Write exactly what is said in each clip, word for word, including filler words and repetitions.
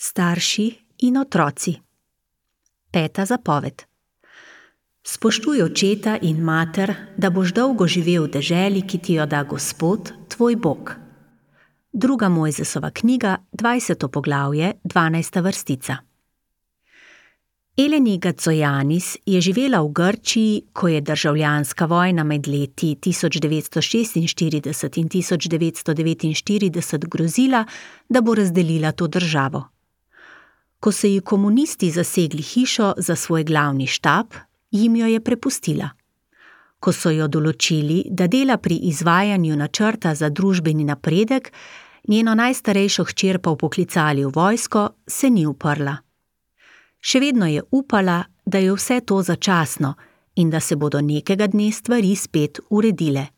Starši in otroci. Peta zapoved. Spoštuj očeta in mater, da boš dolgo živel v deželi, ki ti jo da Gospod, tvoj Bog. Druga Mojzesova knjiga, dvajseto poglavje, dvanajsta vrstica. Eleni Gacojanis je živela v Grčiji, ko je državljanska vojna med leti tisoč devetsto šestinštirideset in tisoč devetsto devetinštirideset grozila, da bo razdelila to državo. Ko so ji komunisti zasegli hišo za svoj glavni štab, jim jo je prepustila. Ko so jo določili, da dela pri izvajanju načrta za družbeni napredek, njeno najstarejšo hčer pa vpoklicali v vojsko, se ni uprla. Še vedno je upala, da je vse to začasno in da se bodo nekega dne stvari spet uredile.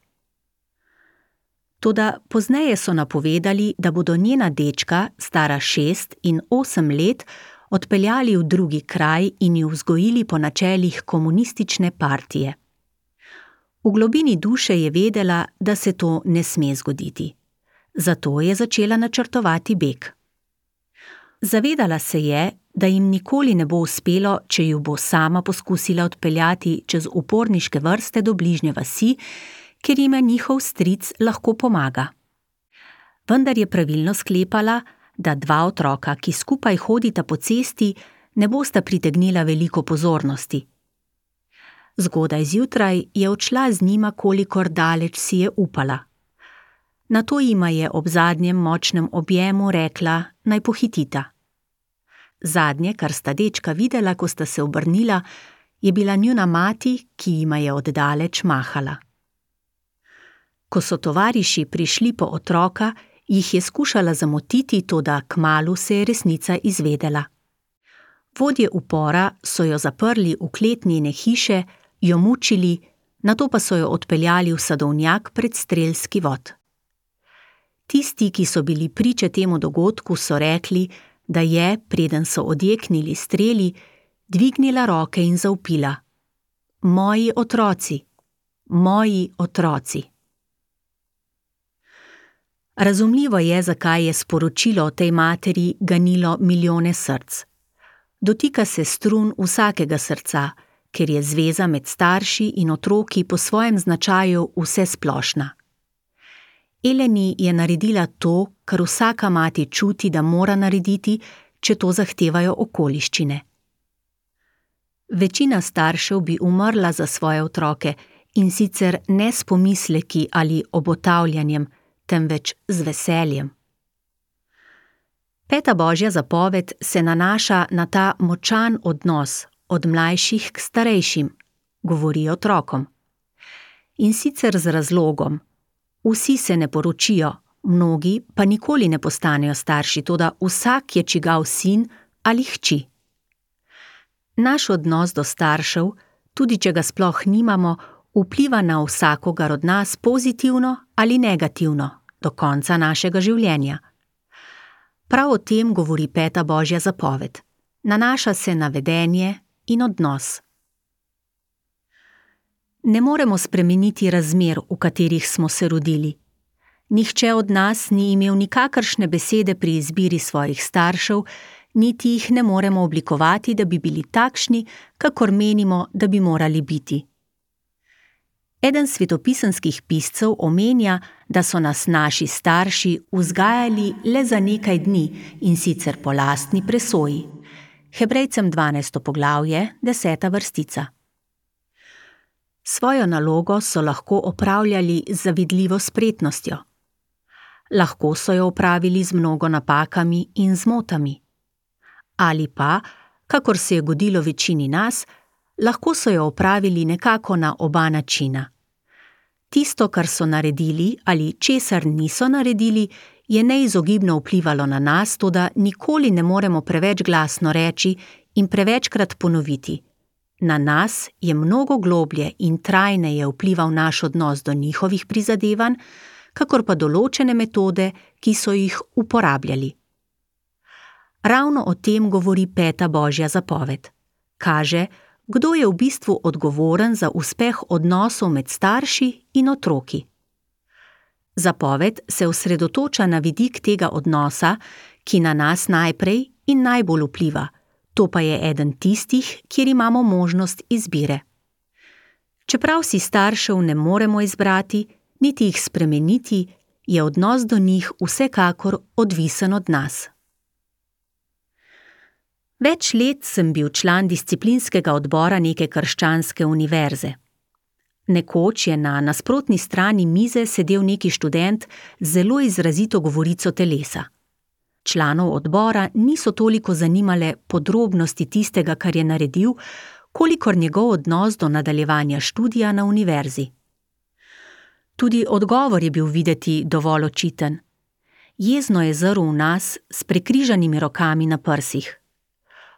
Toda pozneje so napovedali, da bodo njena dečka, stara šest in osem let, odpeljali v drugi kraj in ju vzgojili po načelih komunistične partije. V globini duše je vedela, da se to ne sme zgoditi. Zato je začela načrtovati beg. Zavedala se je, da jim nikoli ne bo uspelo, če ju bo sama poskusila odpeljati čez uporniške vrste do bližnje vasi, ker jima njihov stric lahko pomaga. Vendar je pravilno sklepala, da dva otroka, ki skupaj hodita po cesti, ne bosta pritegnila veliko pozornosti. Zgodaj zjutraj je odšla z njima, kolikor daleč si je upala. Nato jima je ob zadnjem močnem objemu rekla, naj pohitita. Zadnje, kar sta dečka videla, ko sta se obrnila, je bila njuna mati, ki jima je oddaleč mahala. Ko so tovariši prišli po otroka, jih je skušala zamotiti, toda kmalu se je resnica izvedela. Vodje upora so jo zaprli v klet njene hiše, jo mučili, nato pa so jo odpeljali v sadovnjak pred strelski vod. Tisti, ki so bili priče temu dogodku, so rekli, da je, preden so odjeknili streli, dvignila roke in zavpila: Moji otroci, moji otroci. Razumljivo je, zakaj je sporočilo o tej materi ganilo milijone src. Dotika se strun vsakega srca, ker je zveza med starši in otroki po svojem značaju vsesplošna. Eleni je naredila to, kar vsaka mati čuti, da mora narediti, če to zahtevajo okoliščine. Večina staršev bi umrla za svoje otroke, in sicer ne s pomisleki ali obotavljanjem, temveč z veseljem. Peta Božja zapoved se nanaša na ta močan odnos od mlajših k starejšim, govori otrokom. In sicer z razlogom. Vsi se ne poročijo, mnogi pa nikoli ne postanejo starši, toda vsak je čigav sin ali hči. Naš odnos do staršev, tudi če ga sploh nimamo, vpliva na vsakogar od nas pozitivno ali negativno do konca našega življenja. Prav o tem govori Peta Božja zapoved. Nanaša se na vedenje in odnos. Ne moremo spremeniti razmer, v katerih smo se rodili. Nihče od nas ni imel nikakršne besede pri izbiri svojih staršev, niti jih ne moremo oblikovati, da bi bili takšni, kakor menimo, da bi morali biti. Eden svetopisemskih piscev omenja, da so nas naši starši vzgajali le za nekaj dni, in sicer po lastni presoji. Hebrejcem dvanajsto poglavje, deseta vrstica. Svojo nalogo so lahko opravljali z zavidljivo spretnostjo. Lahko so jo opravili z mnogo napakami in zmotami. Ali pa, kakor se je godilo večini nas, lahko so jo opravili nekako na oba načina. Tisto, kar so naredili ali česar niso naredili, je neizogibno vplivalo na nas, toda nikoli ne moremo preveč glasno reči in prevečkrat ponoviti. Na nas je mnogo globlje in trajneje vplival naš odnos do njihovih prizadevanj, kakor pa določene metode, ki so jih uporabljali. Ravno o tem govori Peta Božja zapoved. Kaže, kdo je v bistvu odgovoren za uspeh odnosov med starši in otroki. Zapoved se osredotoča na vidik tega odnosa, ki na nas najprej in najbolj vpliva, to pa je eden tistih, kjer imamo možnost izbire. Čeprav si staršev ne moremo izbrati, niti jih spremeniti, je odnos do njih vsekakor odvisen od nas. Več let sem bil član disciplinskega odbora neke krščanske univerze. Nekoč je na nasprotni strani mize sedel neki študent z zelo izrazito govorico telesa. Članov odbora niso toliko zanimale podrobnosti tistega, kar je naredil, kolikor njegov odnos do nadaljevanja študija na univerzi. Tudi odgovor je bil videti dovolj očiten. Jezno je zrl v nas s prekrižanimi rokami na prsih.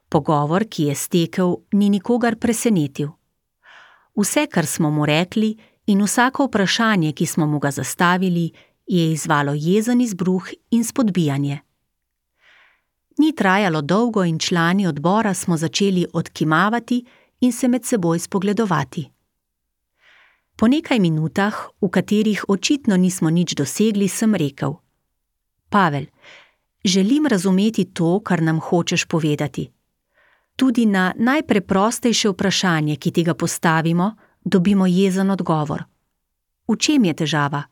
Pogovor, ki je stekel, ni nikogar presenetil. Vse, kar smo mu rekli, in vsako vprašanje, ki smo mu ga zastavili, je izzvalo jezen izbruh in spodbijanje. Ni trajalo dolgo in člani odbora smo začeli odkimavati in se med seboj spogledovati. Po nekaj minutah, v katerih očitno nismo nič dosegli, sem rekel: Pavel, želim razumeti to, kar nam hočeš povedati. Tudi na najpreprostejše vprašanje, ki ti ga postavimo, dobimo jezen odgovor. V čem je težava?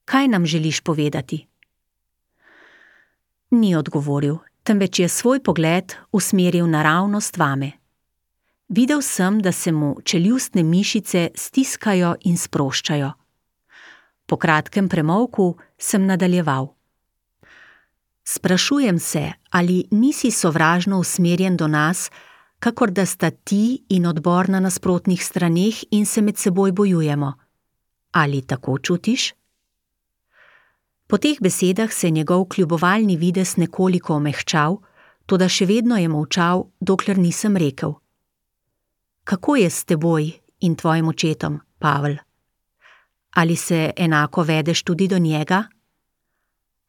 Kaj nam želiš povedati? Ni odgovoril, temveč je svoj pogled usmeril naravnost vame. Videl sem, da se mu čeljustne mišice stiskajo in sproščajo. Po kratkem premolku sem nadaljeval. Sprašujem se, ali nisi sovražno usmerjen do nas, kakor da sta ti in odbor na nasprotnih straneh in se med seboj bojujemo. Ali tako čutiš? Po teh besedah se je njegov kljubovalni videz nekoliko omehčal, toda še vedno je molčal, dokler nisem rekel: Kako je s teboj in tvojim očetom, Pavel? Ali se enako vedeš tudi do njega?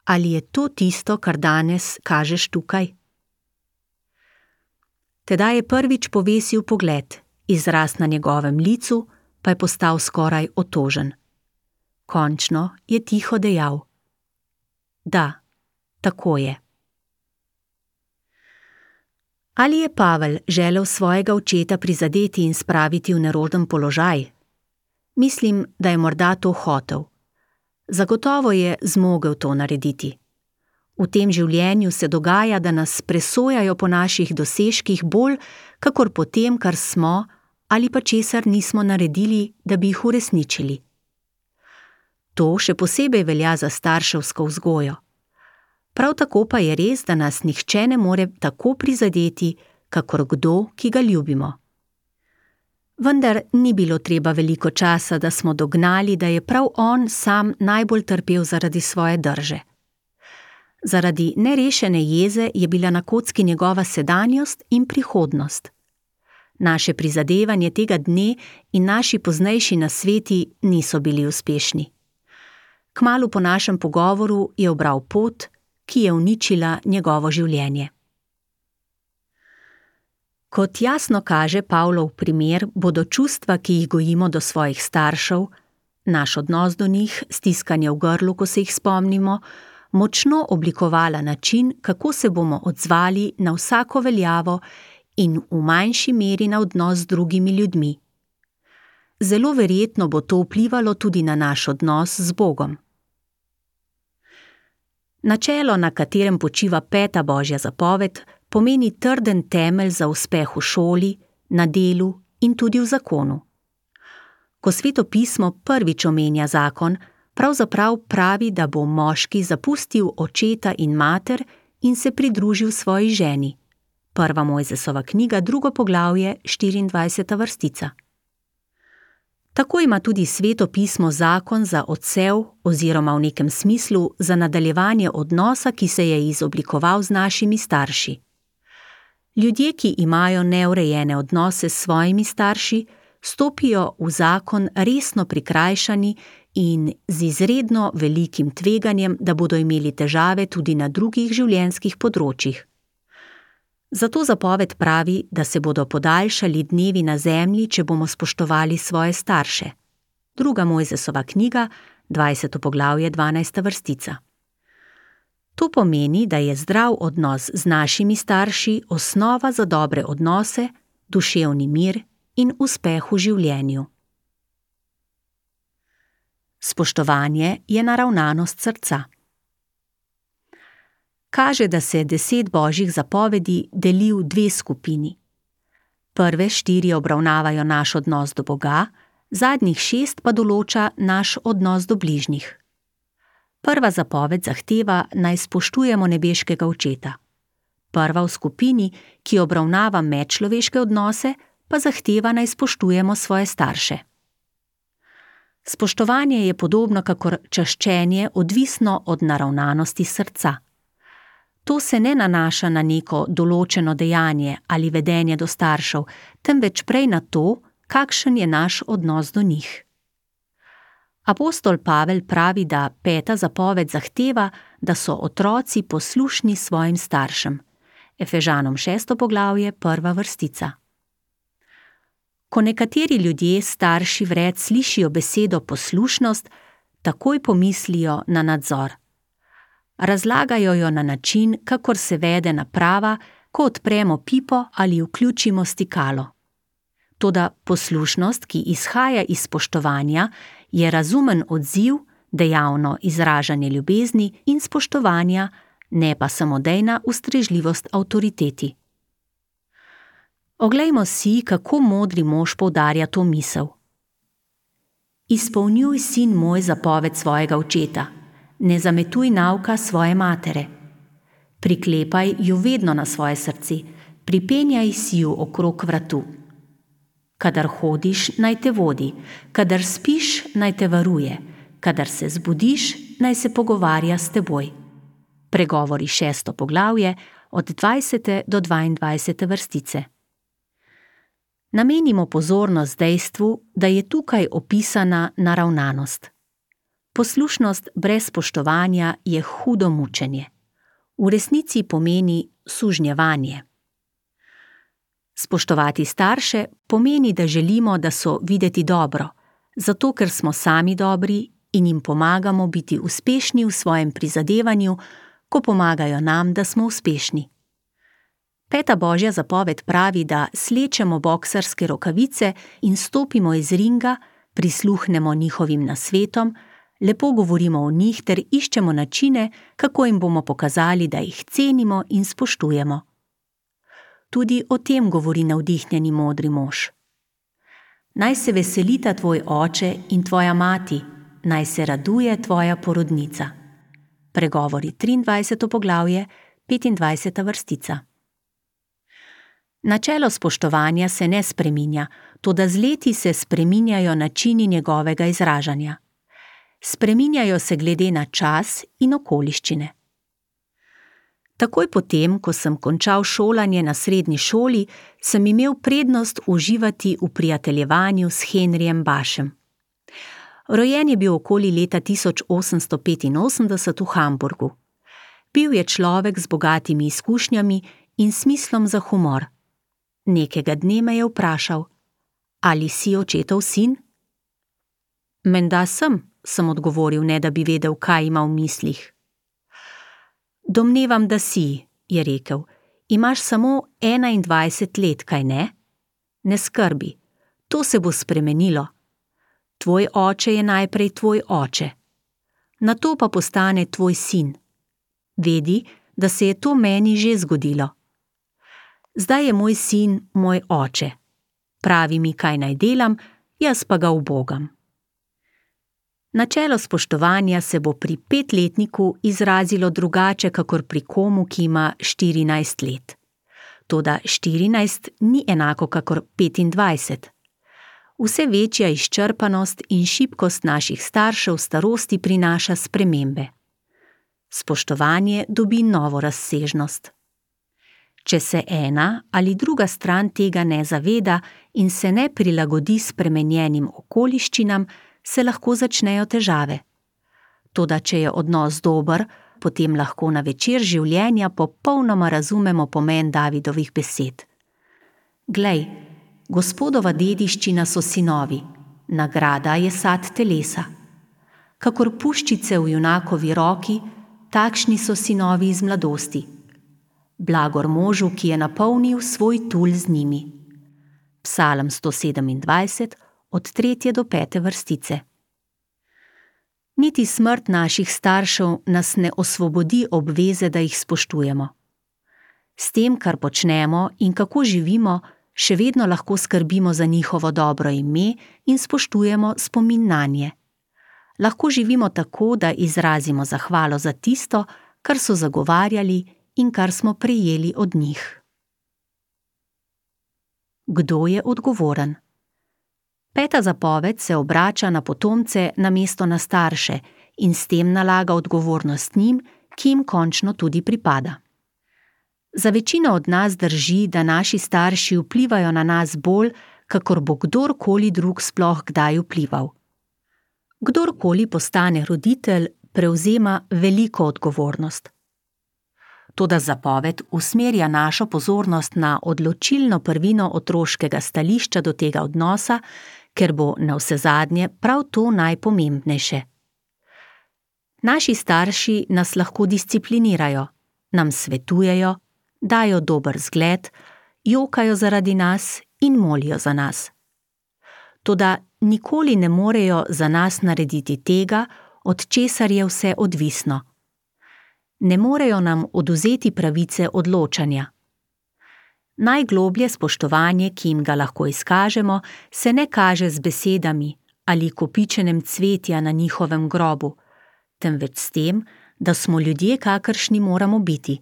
Ali je to tisto, kar danes kažeš tukaj? Tedaj je prvič povesil pogled, izraz na njegovem licu pa je postal skoraj otožen. Končno je tiho dejal: Da, tako je. Ali je Pavel želel svojega očeta prizadeti in spraviti v neroden položaj? Mislim, da je morda to hotel. Zagotovo je zmogel to narediti. V tem življenju se dogaja, da nas presojajo po naših dosežkih bolj, kakor po tem, kar smo ali pa česar nismo naredili, da bi jih uresničili. To še posebej velja za starševsko vzgojo. Prav tako pa je res, da nas nihče ne more tako prizadeti, kakor kdo, ki ga ljubimo. Vendar ni bilo treba veliko časa, da smo dognali, da je prav on sam najbolj trpel zaradi svoje drže. Zaradi nerešene jeze je bila na kocki njegova sedanjost in prihodnost. Naše prizadevanje tega dne in naši poznejši nasveti niso bili uspešni. Kmalu po našem pogovoru je ubral pot, ki je uničila njegovo življenje. Kot jasno kaže Pavlov primer, bodo čustva, ki jih gojimo do svojih staršev, naš odnos do njih, stiskanje v grlu, ko se jih spomnimo, močno oblikovala način, kako se bomo odzvali na vsako veljavo in v manjši meri na odnos z drugimi ljudmi. Zelo verjetno bo to vplivalo tudi na naš odnos z Bogom. Načelo, na katerem počiva peta Božja zapoved, pomeni trden temelj za uspeh v šoli, na delu in tudi v zakonu. Ko Sveto pismo prvič omenja zakon, pravzaprav pravi, da bo moški zapustil očeta in mater in se pridružil svoji ženi. Prva Mojzesova knjiga, drugo poglavje, štiriindvajseta vrstica. Tako ima tudi Sveto pismo zakon za odsev oziroma v nekem smislu za nadaljevanje odnosa, ki se je izoblikoval z našimi starši. Ljudje, ki imajo neurejene odnose s svojimi starši, stopijo v zakon resno prikrajšani in z izredno velikim tveganjem, da bodo imeli težave tudi na drugih življenjskih področjih. Zato zapoved pravi, da se bodo podaljšali dnevi na zemlji, če bomo spoštovali svoje starše. Druga Mojzesova knjiga, dvajseto poglavje, dvanajsta vrstica. To pomeni, da je zdrav odnos z našimi starši osnova za dobre odnose, duševni mir in uspeh v življenju. Spoštovanje je naravnanost srca. Kaže, da se deset božjih zapovedi deli v dve skupini. Prve štiri obravnavajo naš odnos do Boga, zadnjih šest pa določa naš odnos do bližnjih. Prva zapoved zahteva, naj spoštujemo nebeškega Očeta. Prva v skupini, ki obravnava medčloveške odnose, pa zahteva, naj spoštujemo svoje starše. Spoštovanje je podobno kakor čaščenje odvisno od naravnanosti srca. To se ne nanaša na neko določeno dejanje ali vedenje do staršev, temveč prej na to, kakšen je naš odnos do njih. Apostol Pavel pravi, da peta zapoved zahteva, da so otroci poslušni svojim staršem. Efežanom šesto poglavje, prva vrstica. Ko nekateri ljudje, starši vred, slišijo besedo poslušnost, takoj pomislijo na nadzor. Razlagajo jo na način, kakor se vede naprava, ko odpremo pipo ali vključimo stikalo. Toda poslušnost, ki izhaja iz spoštovanja, je razumen odziv, dejavno izražanje ljubezni in spoštovanja, ne pa samodejna ustrežljivost avtoriteti. Oglejmo si, kako modri mož poudarja to misel. Izpolnjuj, sin moj, zapoved svojega očeta, ne zametuj nauka svoje matere. Priklepaj ju vedno na svoje srce, pripenjaj si ju okrog vratu. Kadar hodiš, naj te vodi, kadar spiš, naj te varuje, kadar se zbudiš, naj se pogovarja s teboj. Pregovori šesto poglavje, od dvajsete do dvaindvajsete vrstice. Namenimo pozornost dejstvu, da je tukaj opisana naravnanost. Poslušnost brez spoštovanja je hudo mučenje. V resnici pomeni sužnjevanje. Spoštovati starše pomeni, da želimo, da so videti dobro, zato ker smo sami dobri in jim pomagamo biti uspešni v svojem prizadevanju, ko pomagajo nam, da smo uspešni. Peta božja zapoved pravi, da slečemo boksarske rokavice in stopimo iz ringa, prisluhnemo njihovim nasvetom, lepo govorimo o njih ter iščemo načine, kako jim bomo pokazali, da jih cenimo in spoštujemo. Tudi o tem govori navdihnjeni modri mož. Naj se veselita tvoj oče in tvoja mati, naj se raduje tvoja porodnica. Pregovori triindvajseto poglavje, petindvajseta vrstica. Načelo spoštovanja se ne spreminja, toda z leti se spreminjajo načini njegovega izražanja. Spreminjajo se glede na čas in okoliščine. Takoj potem, ko sem končal šolanje na srednji šoli, sem imel prednost uživati v prijateljevanju s Henrijem Bašem. Rojen je bil okoli leta tisoč osemsto petinosemdeset v Hamburgu. Bil je človek z bogatimi izkušnjami in smislom za humor. Nekega dne me je vprašal: ali si očetov sin? Menda sem, sem odgovoril, ne da bi vedel, kaj ima v mislih. Domnevam, da si, je rekel, imaš samo enaindvajset let, kaj ne? Ne skrbi, to se bo spremenilo. Tvoj oče je najprej tvoj oče. Nato pa postane tvoj sin. Vedi, da se je to meni že zgodilo. Zdaj je moj sin moj oče. Pravi mi, kaj naj delam, jaz pa ga ubogam. Načelo spoštovanja se bo pri petletniku izrazilo drugače, kakor pri komu, ki ima štirinajst let. Toda štirinajst ni enako kakor petindvajset. Vse večja izčrpanost in šibkost naših staršev v starosti prinaša spremembe. Spoštovanje dobi novo razsežnost. Če se ena ali druga stran tega ne zaveda in se ne prilagodi spremenjenim okoliščinam, se lahko začnejo težave. Toda če je odnos dober, potem lahko na večer življenja popolnoma razumemo pomen Davidovih besed. Glej, Gospodova dediščina so sinovi, nagrada je sad telesa. Kakor puščice v junakovi roki, takšni so sinovi iz mladosti. Blagor možu, ki je napolnil svoj tul z njimi. Psalm sto sedemindvajset, od tretje do pete vrstice. Niti smrt naših staršev nas ne osvobodi obveze, da jih spoštujemo. S tem, kar počnemo in kako živimo, še vedno lahko skrbimo za njihovo dobro ime in spoštujemo spomin nanje. Lahko živimo tako, da izrazimo zahvalo za tisto, kar so zagovarjali in kar smo prejeli od njih. Kdo je odgovoren? Peta zapoved se obrača na potomce namesto na starše in s tem nalaga odgovornost njim, ki jim končno tudi pripada. Za večino od nas drži, da naši starši vplivajo na nas bolj, kakor bo kdorkoli drug sploh kdaj vplival. Kdorkoli postane roditelj, prevzema veliko odgovornost. Toda zapoved usmerja našo pozornost na odločilno prvino otroškega stališča do tega odnosa, ker bo navsezadnje prav to najpomembnejše. Naši starši nas lahko disciplinirajo, nam svetujejo, dajo dober zgled, jokajo zaradi nas in molijo za nas. Toda nikoli ne morejo za nas narediti tega, od česar je vse odvisno. Ne morejo nam odvzeti pravice odločanja. Najgloblje spoštovanje, ki jim ga lahko izkažemo, se ne kaže z besedami ali kopičenjem cvetja na njihovem grobu, temveč s tem, da smo ljudje, kakršni moramo biti.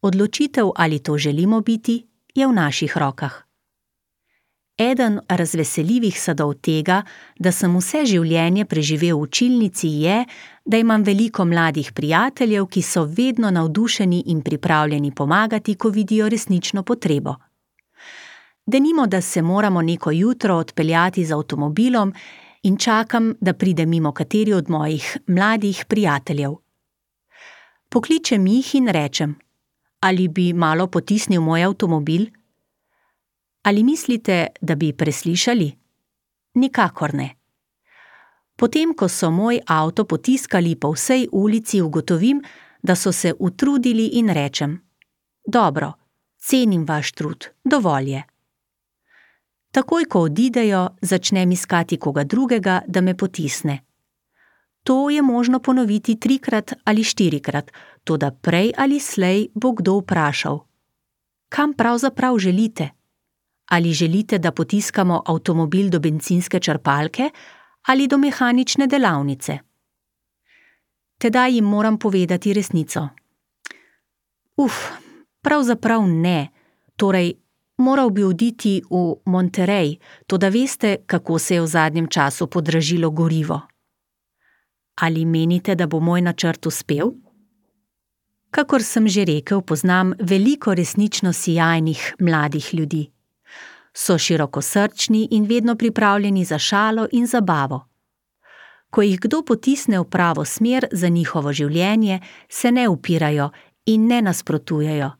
Odločitev, ali to želimo biti, je v naših rokah. Eden razveseljivih sadov tega, da sem vse življenje preživel v učilnici, je, da imam veliko mladih prijateljev, ki so vedno navdušeni in pripravljeni pomagati, ko vidijo resnično potrebo. Denimo, da se moramo neko jutro odpeljati z avtomobilom in čakam, da pride mimo kateri od mojih mladih prijateljev. Pokličem jih in rečem: ali bi malo potisnil moj avtomobil? Ali mislite, da bi preslišali? Nikakor ne. Potem, ko so moj avto potiskali po vsej ulici, ugotovim, da so se utrudili in rečem: dobro, cenim vaš trud, dovolj je. Takoj, ko odidejo, začnem iskati koga drugega, da me potisne. To je možno ponoviti trikrat ali štirikrat, toda prej ali slej bo kdo vprašal: kam pravzaprav želite? Ali želite, da potiskamo avtomobil do bencinske črpalke ali do mehanične delavnice? Tedaj jim moram povedati resnico. Uf, pravzaprav ne, torej moral bi oditi v Monterey, toda veste, kako se je v zadnjem času podražilo gorivo. Ali menite, da bo moj načrt uspel? Kakor sem že rekel, poznam veliko resnično sijajnih mladih ljudi. So širokosrčni in vedno pripravljeni za šalo in zabavo. Ko jih kdo potisne v pravo smer za njihovo življenje, se ne upirajo in ne nasprotujejo.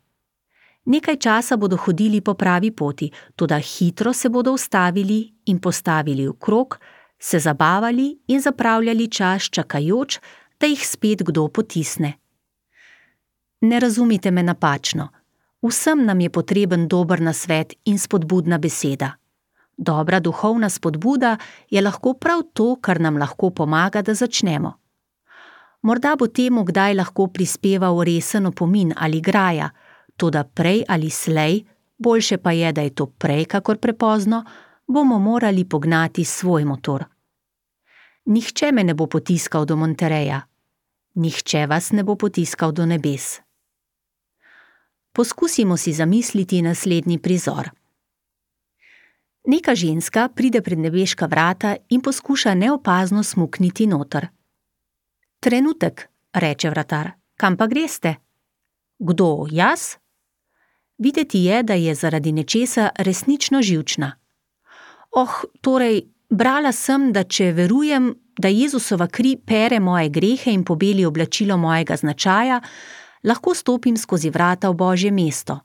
Nekaj časa bodo hodili po pravi poti, toda hitro se bodo ustavili in postavili v krog, se zabavali in zapravljali čas čakajoč, da jih spet kdo potisne. Ne razumite me napačno. Vsem nam je potreben dober nasvet in spodbudna beseda. Dobra duhovna spodbuda je lahko prav to, kar nam lahko pomaga, da začnemo. Morda bo temu kdaj lahko prispeval resen opomin ali graja, toda prej ali slej, boljše pa je, da je to prej kakor prepozno, bomo morali pognati svoj motor. Nihče me ne bo potiskal do Montereja. Nihče vas ne bo potiskal do nebes. Poskusimo si zamisliti naslednji prizor. Neka ženska pride pred nebeška vrata in poskuša neopazno smukniti noter. Trenutek, reče vratar, kam pa greste? Kdo, jaz? Videti je, da je zaradi nečesa resnično živčna. Oh, torej, brala sem, da če verujem, da Jezusova kri pere moje grehe in pobeli oblačilo mojega značaja, lahko stopim skozi vrata v Božje mesto.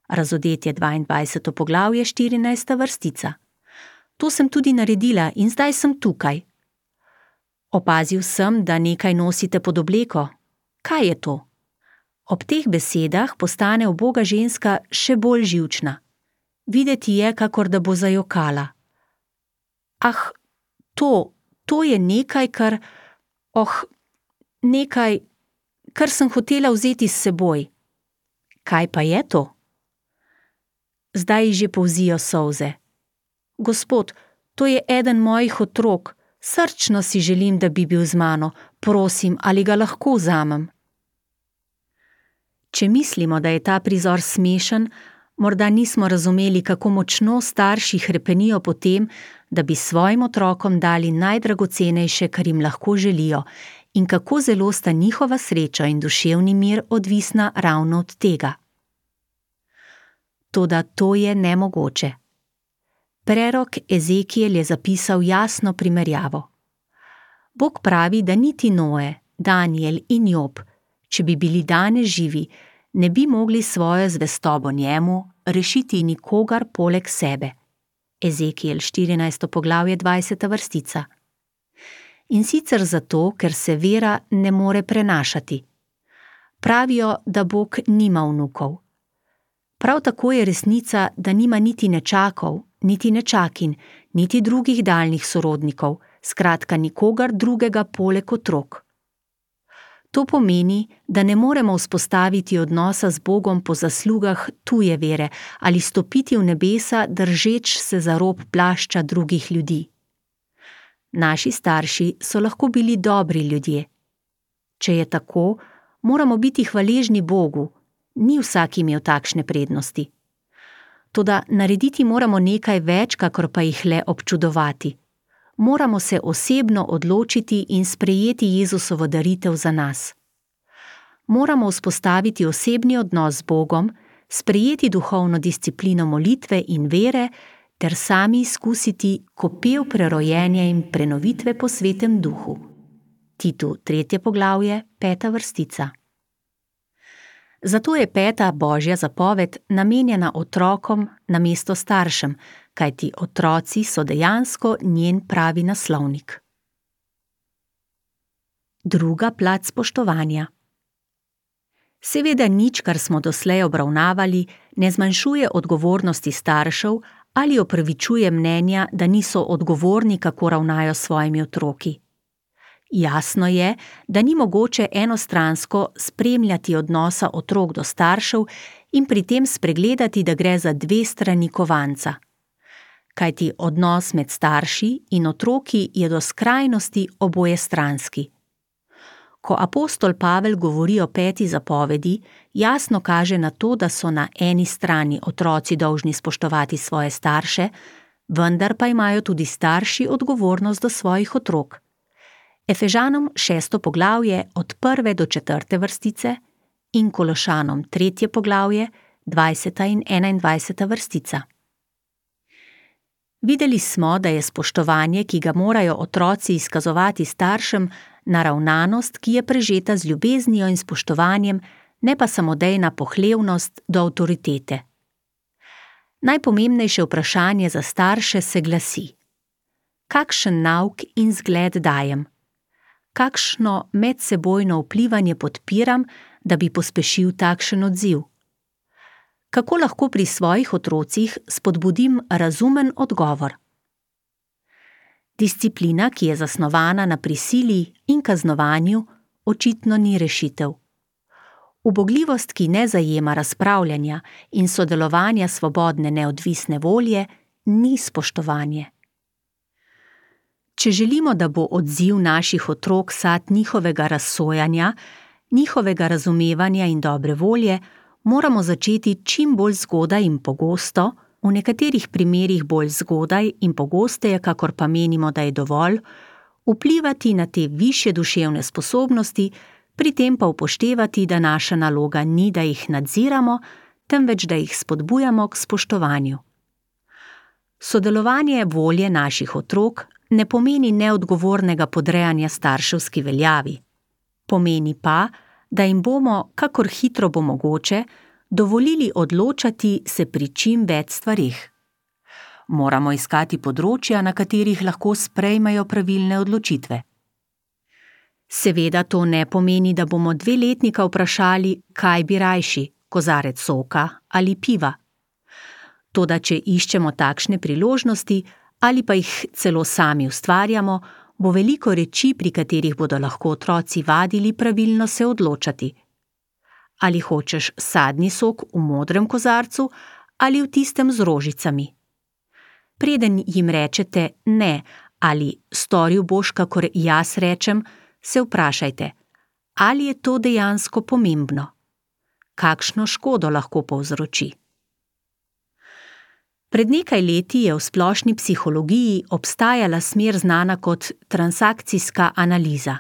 Razodetje dvaindvajseto poglavje, štirinajsta vrstica. To sem tudi naredila in zdaj sem tukaj. Opazil sem, da nekaj nosite pod obleko. Kaj je to? Ob teh besedah postane uboga ženska še bolj živčna. Videti je, kakor da bo zajokala. Ah, to, to je nekaj, kar, oh, nekaj, kar sem hotela vzeti s seboj. Kaj pa je to? Zdaj ji že polzijo solze. Gospod, to je eden mojih otrok, srčno si želim, da bi bil z mano, prosim, ali ga lahko vzamem. Če mislimo, da je ta prizor smešen, morda nismo razumeli, kako močno starši hrepenijo po tem, da bi svojim otrokom dali najdragocenejše, kar jim lahko želijo, in kako zelo sta njihova sreča in duševni mir odvisna ravno od tega. Toda to je nemogoče. Prerok Ezekiel je zapisal jasno primerjavo. Bog pravi, da niti Noe, Danijel in Job, če bi bili danes živi, ne bi mogli svojo zvestobo njemu rešiti nikogar poleg sebe. Ezekiel štirinajsto poglavje dvajseta vrstica. In sicer zato, ker se vera ne more prenašati. Pravijo, da Bog nima vnukov. Prav tako je resnica, da nima niti nečakov, niti nečakin, niti drugih daljnih sorodnikov, skratka nikogar drugega poleg otrok. To pomeni, da ne moremo vzpostaviti odnosa z Bogom po zaslugah tuje vere ali stopiti v nebesa, držeč se za rob plašča drugih ljudi. Naši starši so lahko bili dobri ljudje. Če je tako, moramo biti hvaležni Bogu, ni vsak imel takšne prednosti. Toda narediti moramo nekaj več, kakor pa jih le občudovati. Moramo se osebno odločiti in sprejeti Jezusovo daritev za nas. Moramo vzpostaviti osebni odnos z Bogom, sprejeti duhovno disciplino molitve in vere, ter sami izkusiti kopel prerojenja in prenovitve po Svetem Duhu. Titu, tretje poglavje, peta vrstica. Zato je peta Božja zapoved namenjena otrokom namesto staršem, kajti otroci so dejansko njen pravi naslovnik. Druga plat spoštovanja. Seveda nič, kar smo doslej obravnavali, ne zmanjšuje odgovornosti staršev ali opravičuje mnenja, da niso odgovorni, kako ravnajo s svojimi otroki. Jasno je, da ni mogoče enostransko spremljati odnosa otrok do staršev in pri tem spregledati, da gre za dve strani kovanca. Kajti odnos med starši in otroki je do skrajnosti obojestranski. Ko apostol Pavel govori o peti zapovedi, jasno kaže na to, da so na eni strani otroci dolžni spoštovati svoje starše, vendar pa imajo tudi starši odgovornost do svojih otrok. Efežanom šesto poglavje od prve do četrte vrstice in Kološanom tretje poglavje, dvajseta in enaindvajseta vrstica. Videli smo, da je spoštovanje, ki ga morajo otroci izkazovati staršem, naravnanost, ki je prežeta z ljubeznijo in spoštovanjem, ne pa samodejna pohlevnost do avtoritete. Najpomembnejše vprašanje za starše se glasi: kakšen nauk in zgled dajem? Kakšno medsebojno vplivanje podpiram, da bi pospešil takšen odziv? Kako lahko pri svojih otrocih spodbudim razumen odgovor? Disciplina, ki je zasnovana na prisili in kaznovanju, očitno ni rešitev. Ubogljivost, ki ne zajema razpravljanja in sodelovanja svobodne neodvisne volje, ni spoštovanje. Če želimo, da bo odziv naših otrok sad njihovega razsojanja, njihovega razumevanja in dobre volje, moramo začeti čim bolj zgodaj in pogosto, v nekaterih primerih bolj zgodaj in pogosteje, kakor pa menimo, da je dovolj, vplivati na te višje duševne sposobnosti, pri tem pa upoštevati, da naša naloga ni, da jih nadziramo, temveč da jih spodbujamo k spoštovanju. Sodelovanje volje naših otrok ne pomeni neodgovornega podrejanja starševski veljavi. Pomeni pa, da jim bomo, kakor hitro bo mogoče, dovolili odločati se pri čim več stvareh. Moramo iskati področja, na katerih lahko sprejmejo pravilne odločitve. Seveda to ne pomeni, da bomo dveletnika vprašali, kaj bi rajši, kozarec soka ali piva. Toda če iščemo takšne priložnosti ali pa jih celo sami ustvarjamo, bo veliko reči, pri katerih bodo lahko otroci vadili pravilno se odločati. Ali hočeš sadni sok v modrem kozarcu ali v tistem z rožicami. Preden jim rečete ne ali storil boš, kakor jaz rečem, se vprašajte, ali je to dejansko pomembno? Kakšno škodo lahko povzroči? Pred nekaj leti je v splošni psihologiji obstajala smer znana kot transakcijska analiza.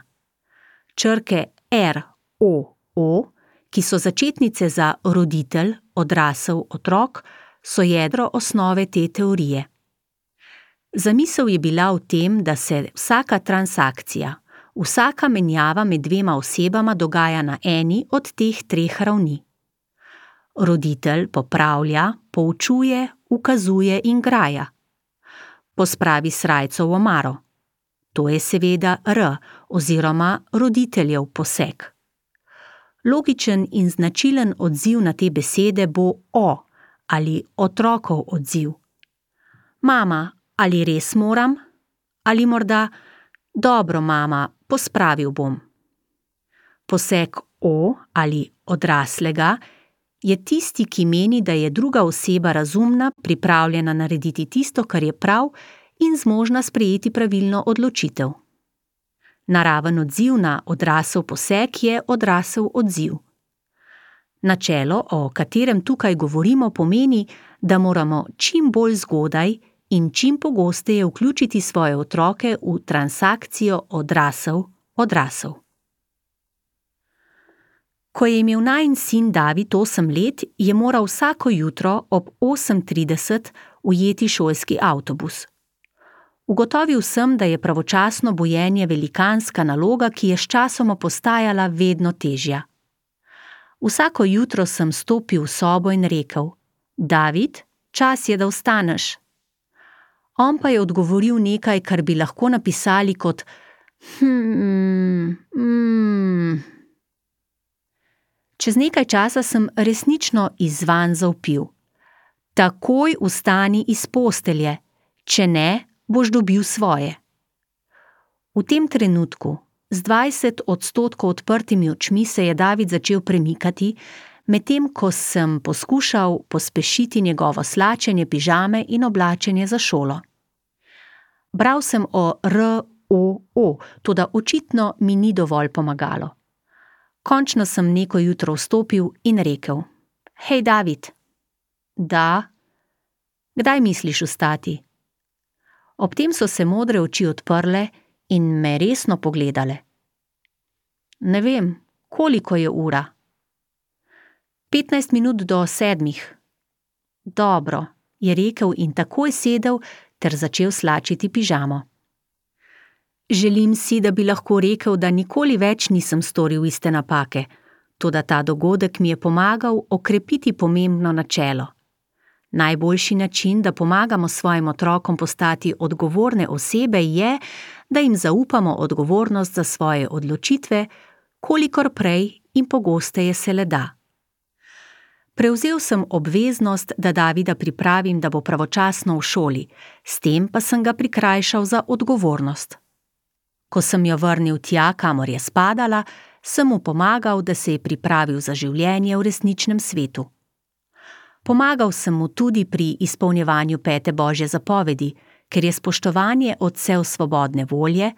Črke R, O, O, ki so začetnice za roditelj, odrasel, otrok, so jedro osnove te teorije. Zamisel je bila v tem, da se vsaka transakcija, vsaka menjava med dvema osebama dogaja na eni od teh treh ravni. Roditelj popravlja, poučuje, ukazuje in graja. Pospravi srajco v omaro. To je seveda R oziroma roditeljev poseg. Logičen in značilen odziv na te besede bo O ali otrokov odziv. Mama, ali res moram? Ali morda, dobro mama, pospravil bom. Poseg O ali odraslega je tisti, ki meni, da je druga oseba razumna, pripravljena narediti tisto, kar je prav in zmožna sprejeti pravilno odločitev. Naraven odziv na odrasel poseg je odrasel odziv. Načelo, o katerem tukaj govorimo, pomeni, da moramo čim bolj zgodaj in čim pogosteje vključiti svoje otroke v transakcijo odrasel-odrasel. Ko je imel najin sin David osem let, je moral vsako jutro ob osem trideset ujeti šolski avtobus. Ugotovil sem, da je pravočasno bujenje velikanska naloga, ki je sčasoma postajala vedno težja. Vsako jutro sem stopil v sobo in rekel: David, čas je, da vstaneš. On pa je odgovoril nekaj, kar bi lahko napisali kot hmm, hmm. Čez nekaj časa sem resnično izzvan zavpil: Takoj vstani iz postelje, če ne, boš dobil svoje. V tem trenutku, z dvajset odstotkov odprtimi očmi, se je David začel premikati, medtem ko sem poskušal pospešiti njegovo slačenje pižame in oblačenje za šolo. Bral sem o R, O, O, toda očitno mi ni dovolj pomagalo. Končno sem neko jutro vstopil in rekel: Hej, David. Da? Kdaj misliš vstati? Ob tem so se modre oči odprle in me resno pogledale. Ne vem, koliko je ura? Petnajst minut do sedmih. Dobro, je rekel in takoj sedel ter začel slačiti pižamo. Želim si, da bi lahko rekel, da nikoli več nisem storil iste napake, toda ta dogodek mi je pomagal okrepiti pomembno načelo. Najboljši način, da pomagamo svojim otrokom postati odgovorne osebe, je, da jim zaupamo odgovornost za svoje odločitve, kolikor prej in pogosteje se le da. Prevzel sem obveznost, da Davida pripravim, da bo pravočasno v šoli, s tem pa sem ga prikrajšal za odgovornost. Ko sem jo vrnil tja, kamor je spadala, sem mu pomagal, da se je pripravil za življenje v resničnem svetu. Pomagal sem mu tudi pri izpolnjevanju pete Božje zapovedi, ker je spoštovanje odsev svobodne volje,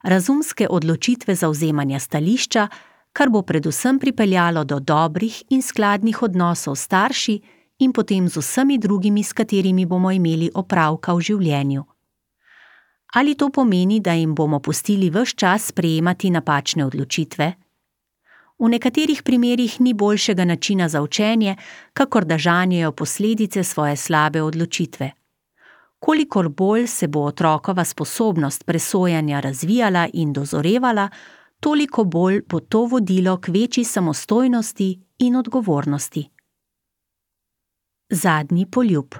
razumske odločitve zavzemanja stališča, kar bo predvsem pripeljalo do dobrih in skladnih odnosov s starši in potem z vsemi drugimi, s katerimi bomo imeli opravka v življenju. Ali to pomeni, da jim bomo pustili ves čas sprejemati napačne odločitve? V nekaterih primerih ni boljšega načina za učenje, kakor da žanjejo posledice svoje slabe odločitve. Kolikor bolj se bo otrokova sposobnost presojanja razvijala in dozorevala, toliko bolj bo to vodilo k večji samostojnosti in odgovornosti. Zadnji poljub.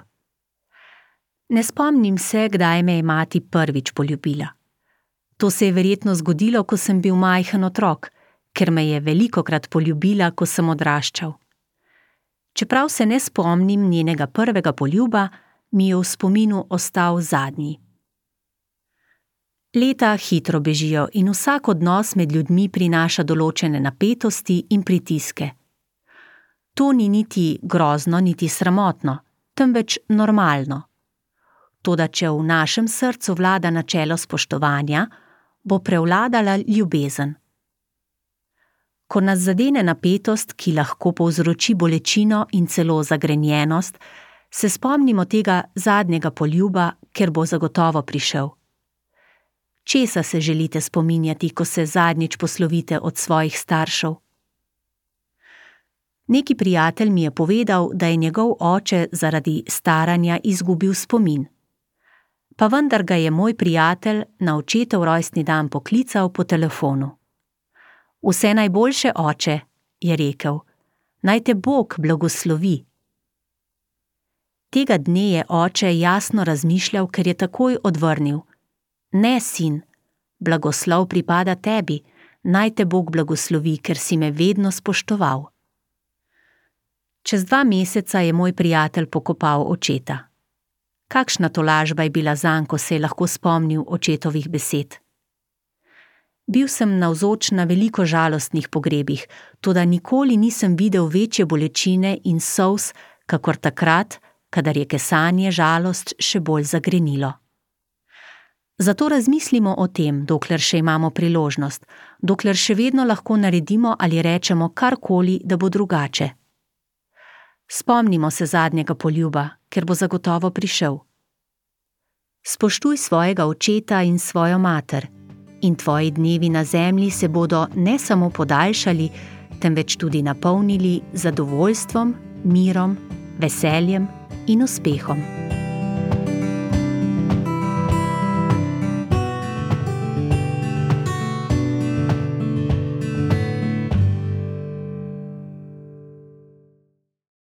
Ne spomnim se, kdaj me je mati prvič poljubila. To se je verjetno zgodilo, ko sem bil majhen otrok, ker me je velikokrat poljubila, ko sem odraščal. Čeprav se ne spomnim njenega prvega poljuba, mi je v spominu ostal zadnji. Leta hitro bežijo in vsak odnos med ljudmi prinaša določene napetosti in pritiske. To ni niti grozno, niti sramotno, temveč normalno. Toda če v našem srcu vlada načelo spoštovanja, bo prevladala ljubezen. Ko nas zadene napetost, ki lahko povzroči bolečino in celo zagrenjenost, se spomnimo tega zadnjega poljuba, ker bo zagotovo prišel. Česa se želite spominjati, ko se zadnjič poslovite od svojih staršev? Neki prijatelj mi je povedal, da je njegov oče zaradi staranja izgubil spomin. Pa vendar ga je moj prijatelj na očetov rojstni dan poklical po telefonu. Vse najboljše, oče, je rekel, naj te Bog blagoslovi. Tega dne je oče jasno razmišljal, ker je takoj odvrnil. Ne, sin, blagoslov pripada tebi, naj te Bog blagoslovi, ker si me vedno spoštoval. Čez dva meseca je moj prijatelj pokopal očeta. Kakšna tolažba je bila zanj, ko se je lahko spomnil očetovih besed. Bil sem navzoč na veliko žalostnih pogrebih, toda nikoli nisem videl večje bolečine in solz, kakor takrat, kadar je kesanje žalost še bolj zagrenilo. Zato razmislimo o tem, dokler še imamo priložnost, dokler še vedno lahko naredimo ali rečemo karkoli, da bo drugače. Spomnimo se zadnjega poljuba, ker bo zagotovo prišel. Spoštuj svojega očeta in svojo mater, in tvoji dnevi na zemlji se bodo ne samo podaljšali, temveč tudi napolnili zadovoljstvom, mirom, veseljem in uspehom.